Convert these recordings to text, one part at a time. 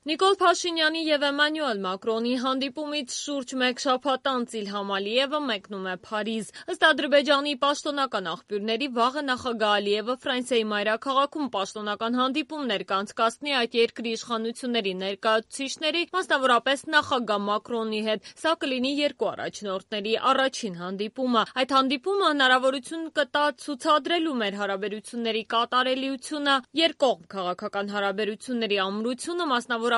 Նիկոլ Փաշինյանի եւ Էմանուել Մակրոնի հանդիպումից շուրջ մեկ շաբաթ անց Իլհամ Ալիևը մեկնում է Փարիզ։ Ըստ Ադրբեջանի պաշտոնական աղբյուրների, վաղը նախագահ Ալիևը Ֆրանսիայի մայրաքաղաքում պաշտոնական հանդիպումներ կանցկացնի այդ երկրի իշխանությունների ներկայացուցիչների, մասնավորապես նախագահ Մակրոնի հետ։ Սա կլինի երկու առաջնորդների առաջին հանդիպումը։ Այդ հանդիպումը հնարավորություն կտա ցուցադրելու մեր հարաբերությունների կատարելիությունը, երկկողմ քաղաքական հարաբերությունների ամրությունը, մասնավորապես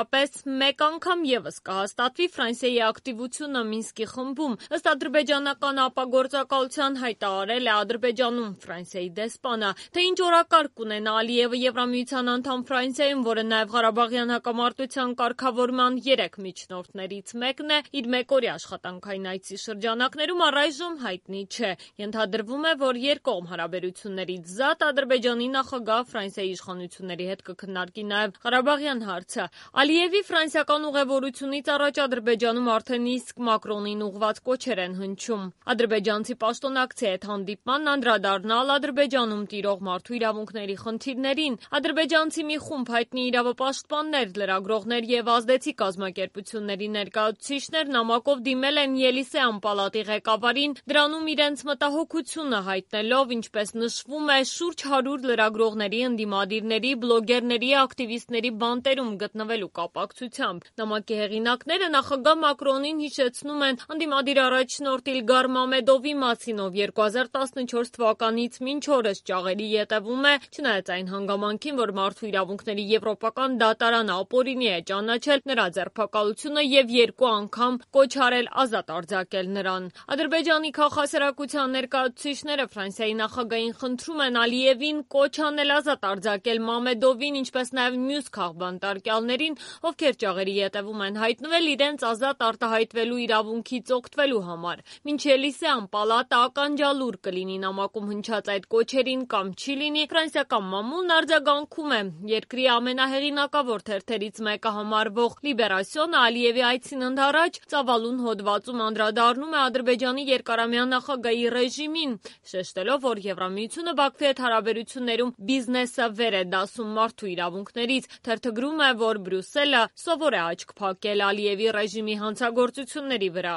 մեկ անգամ ևս կհաստատվի Ֆրանսիայի ակտիվությունը Մինսկի խմբում։ Ըստ ադրբեջանական ապագործակալության հայտարարել է Ադրբեջանում Ֆրանսիայի դեսպանը, թե ինչ օրակարգ կունենա Ալիևը Եվրամիության անդամ Ֆրանսիայում, որը նաև Ղարաբաղյան հակամարտության կարգավորման 3 միջնորդներից մեկն է, իր մեկօրյա աշխատանքային այցի շրջանակներում առայժմ հայտնի չէ։ Ենթադրվում է, որ երկկողմ հարաբերություններից զատ Ադրբեջանի նախագահ Ֆրանսիայի իշխանությունների հետ կքննարկի նաև Ղարաբաղյան հարցը։ Ալիևի ֆրանսիական ուղևորությունից առաջ Ադրբեջանում արդեն իսկ Մակրոնին ուղղված կոչեր են հնչում։ Ադրբեջանցի պաշտոնակցի հետ հանդիպմանն անդրադառնալ Ադրբեջանում տիրող մարդու իրավունքների խնդիրներին։ Ադրբեջանցի մի խումբ հայտնի իրավապաշտպաններ, լրագրողներ եւ ազդեցիկ կազմակերպությունների ներկայացուցիչներ նամակով դիմել են Ելիսեյան պալատի ղեկավարին, դրանում իրենց մտահոգությունը հայտնելով, ինչպես նշվում է, շուրջ 100 լրագրողների, ընդդիմադիրների, բլոգերների, ակտիվիստների բանտերում գտնվելու կապակցությամբ։ Նամակի հեղինակները նախագահ Մակրոնին հիշեցնում են ընդդիմադիր առաջնորդ Իլգար Մամեդովի մասին, ով 2014 թվականից մինչ օրս ճաղերի ետևում է, չնայած այն հանգամանքին, որ Մարդու իրավունքների եվրոպական դատարանը ապօրինի է ճանաչել նրա ձերբակալությունը եւ 2 անգամ կոչ արել ազատ արձակել նրան։ Ադրբեջանի քաղաքասարակության ներկայացուցիչները Ֆրանսիայի նախագահին խնդրում են Ալիևին կոչ անել ազատ արձակել Մամեդովին, ինչպես նաեւ մյուս քաղբանտարկյալներին, ովքեր ճաղերի ետևում են հայտնվել իրենց ազատ արտահայտվելու իրավունքից օգտվելու համար։ Մինչ Ելիսեյան պալատը ականջալուր կլինի նամակում հնչած այդ կոչերին կամ չի լինի, ֆրանսիական մամուլն արձագանքում է։ Երկրի ամենահեղինակավոր թերթերից մեկը համարվող Լիբերասիոնը Ալիևի այցին ընդառաջ ծավալուն հոդվածում անդրադառնում է Ադրբեջանի երկարամյա նախագահի ռեժիմին, շեշտելով, որ Եվրամիությունը Բաքվի հետ հարաբերություններում բիզնեսը վեր է դասում մարդու իրավունքներից։ Թերթը գրում է, որ Բրյուսելը սովոր է աչք փակել Ալիևի ռեժիմի հանցագործությունների վրա։